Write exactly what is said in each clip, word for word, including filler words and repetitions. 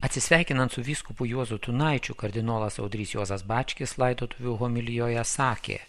Atsisveikinant su vyskupu Juozu Tunaičiu, kardinolas Audrys Juozas Bačkis laidotuvių homilijoje sakė: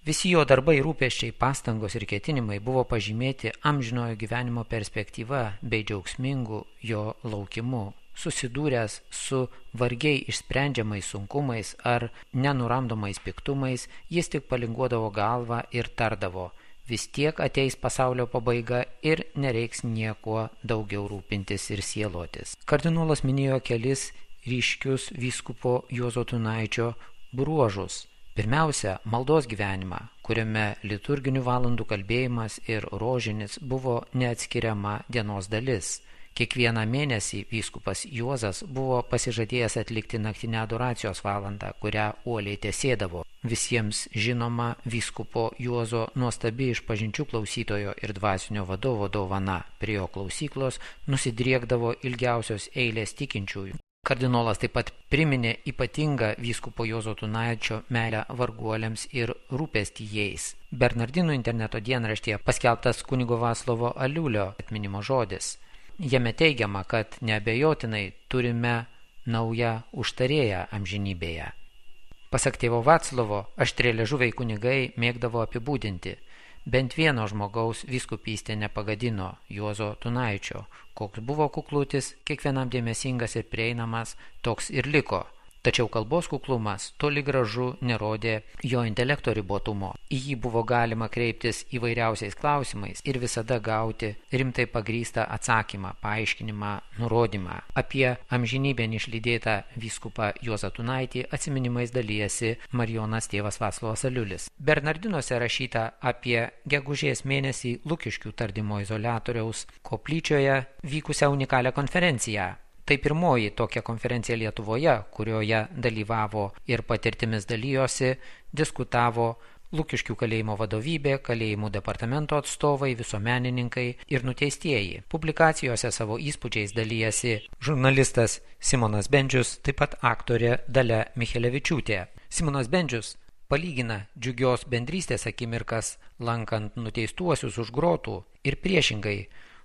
visi jo darbai, rūpesčiai, pastangos ir ketinimai buvo pažymėti amžinojo gyvenimo perspektyva bei džiaugsmingu jo laukimu. Susidūręs su vargiai išsprendžiamais sunkumais ar nenuramdomais piktumais, jis tik palinguodavo galvą ir tardavo: vis tiek ateis pasaulio pabaiga ir nereiks niekuo daugiau rūpintis ir sielotis. Kardinolas minėjo kelis ryškius vyskupo Juozo Tunaičio bruožus. Pirmiausia, maldos gyvenimą, kuriame liturginių valandų kalbėjimas ir rožinis buvo neatskiriama dienos dalis. Kiekvieną mėnesį vyskupas Juozas buvo pasižadėjęs atlikti naktinę adoracijos valandą, kurią uoliai tesėdavo. Visiems žinoma vyskupo Juozo nuostabi išpažinčių klausytojo ir dvasinio vadovo dovana. Prie jo klausyklos nusidriekdavo ilgiausios eilės tikinčiųjų. Kardinolas taip pat priminė ypatingą vyskupo Juozo Tunaičio meilę varguoliams ir rūpestį jais. Bernardinų interneto dienraštyje paskelbtas kunigo Vaclovo Aliulio atminimo žodis. Jame teigiama, kad neabejotinai turime naują užtarėją amžinybėje. Pasak tėvo Vaclovo, aštrialiežuviai kunigai mėgdavo apibūdinti: bent vieno žmogaus vyskupystė nepagadino, Juozo Tunaičio. Koks buvo kuklutis, kiekvienam dėmesingas ir prieinamas, toks ir liko. Tačiau kalbos kuklumas toli gražu nerodė jo intelekto ribotumo. Į jį buvo galima kreiptis įvairiausiais klausimais ir visada gauti rimtai pagrįstą atsakymą, paaiškinimą, nurodymą. Apie amžinybėn išlydėtą vyskupą Juozą Tunaitį atsiminimais dalijasi Marijonas tėvas Vaclovas Aliulis. Bernardinuose rašyta apie gegužės mėnesį Lukiškių tardymo izoliatoriaus koplyčioje vykusią unikalią konferenciją. Tai pirmoji tokia konferencija Lietuvoje, kurioje dalyvavo ir patirtimis dalijosi, diskutavo Lukiškių kalėjimo vadovybė, kalėjimų departamento atstovai, visuomenininkai ir nuteistieji. Publikacijose savo įspūdžiais dalijasi žurnalistas Simonas Bendžius, taip pat aktorė Dalia Michelevičiūtė. Simonas Bendžius palygina džiugios bendrystės akimirkas lankant nuteistuosius už grotų ir priešingai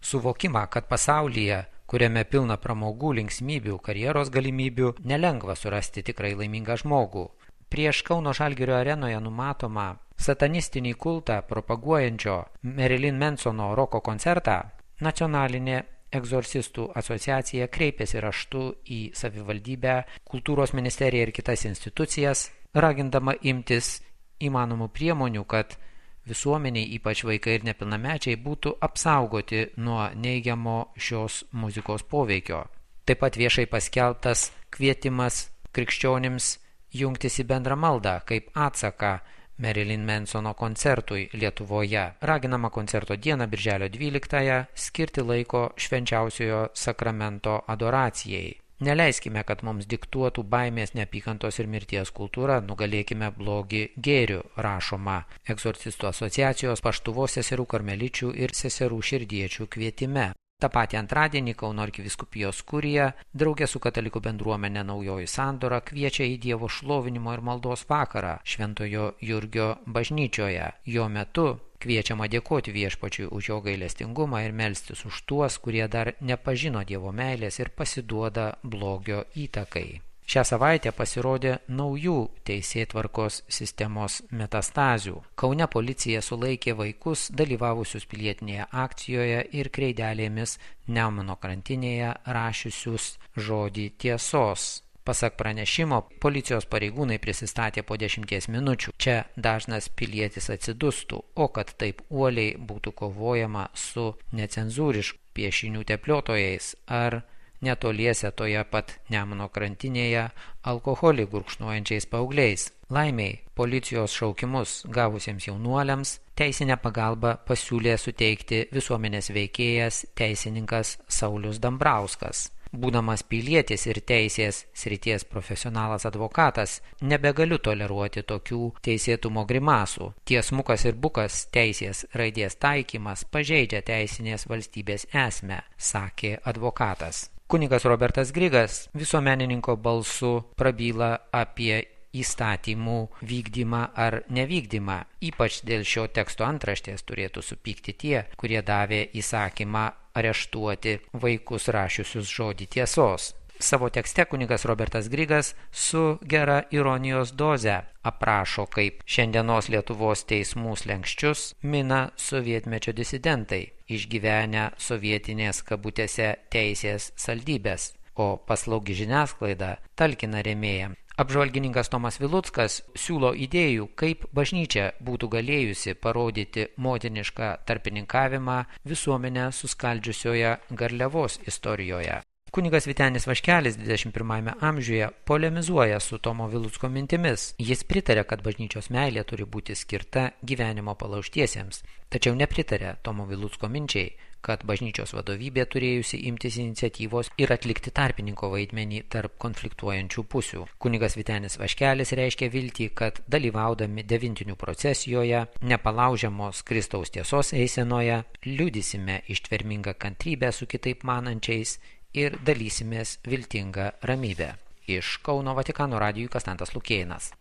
suvokimą, kad pasaulyje, kuriame pilna pramogų, linksmybių, karjeros galimybių, nelengva surasti tikrai laimingą žmogų. Prieš Kauno Žalgirio arenoje numatomą satanistinį kultą propaguojančio Marilyn Mansono roko koncertą Nacionalinė egzorcistų asociacija kreipėsi raštu į savivaldybę, kultūros ministeriją ir kitas institucijas, ragindama imtis įmanomų priemonių, kad visuomeniai, ypač vaikai ir nepilnamečiai, būtų apsaugoti nuo neigiamo šios muzikos poveikio. Taip pat viešai paskelbtas kvietimas krikščionims jungtis į bendrą maldą kaip atsaką Marilyn Mansono koncertui Lietuvoje. Raginama koncerto dieną birželio dvyliktąją skirti laiko švenčiausiojo sakramento adoracijai. Neleiskime, kad mums diktuotų baimės, neapykantos ir mirties kultūra, nugalėkime blogį gėriu, rašoma Egzorcistų asociacijos Paštuvos seserų karmeličių ir seserų širdiečių kvietime. Ta patį antradienį Kauno arkivyskupijos kurija drauge su katalikų bendruomenė Naujoji Sandora kviečia į Dievo šlovinimo ir maldos vakarą Šventojo Jurgio bažnyčioje. Jo metu kviečiama dėkoti Viešpačiui už jo gailestingumą ir melstis už tuos, kurie dar nepažino Dievo meilės ir pasiduoda blogio įtakai. Šią savaitę pasirodė naujų teisėtvarkos sistemos metastazių. Kaune policija sulaikė vaikus dalyvavusius pilietinėje akcijoje ir kreidelėmis Nemuno krantinėje rašiusius žodį tiesos. Pasak pranešimo, policijos pareigūnai prisistatė po dešimties minučių. Čia dažnas pilietis atsidustų, o kad taip uoliai būtų kovojama su necenzūriškų piešinių tepliotojais ar netoliese toje pat Nemuno krantinėje alkoholį gurkšnuojančiais paaugliais. Laimiai, policijos šaukimus gavusiems jaunuoliams teisinę pagalbą pasiūlė suteikti visuomenės veikėjas teisininkas Saulius Dambrauskas. Būdamas pilietis ir teisės srities profesionalas advokatas, nebegaliu toleruoti tokių teisėtumo grimasų. Tiesmukas ir bukas teisės raidės taikymas pažeidžia teisinės valstybės esmę, sakė advokatas. Kunigas Robertas Grigas visuomenininko balsu prabyla apie įstatymų vykdymą ar nevykdymą. Ypač dėl šio teksto antraštės turėtų supykti tie, kurie davė įsakymą areštuoti vaikus rašiusius žodį tiesos. Savo tekste kunigas Robertas Grigas su gera ironijos doze aprašo, kaip šiandienos Lietuvos teismų slenksčius mina sovietmečio disidentai, išgyvenę sovietinės kabutėse teisės saldybės, o paslaugi žiniasklaida talkina rėmėjams. Apžvalgininkas Tomas Viluckas siūlo idėjų, kaip bažnyčia būtų galėjusi parodyti motinišką tarpininkavimą visuomenę suskaldžiusioje garliavos istorijoje. Kunigas Vytenis Vaškelis dvidešimt pirmajame amžiuje polemizuoja su Tomo Vilucko mintimis. Jis pritarė, kad bažnyčios meilė turi būti skirta gyvenimo palaužtiesiems, tačiau nepritarė Tomo Vilucko minčiai, kad bažnyčios vadovybė turėjusi imtis iniciatyvos ir atlikti tarpininko vaidmenį tarp konfliktuojančių pusių. Kunigas Vytenis Vaškelis reiškia viltį, kad dalyvaudami devintinių procesijoje, nepalaužiamos Kristaus tiesos eisenoje, liudysime ištvermingą kantrybę su kitaip manančiais ir dalysimės viltingą ramybę. Iš Kauno Vatikano radijui Konstantas Lukėnas.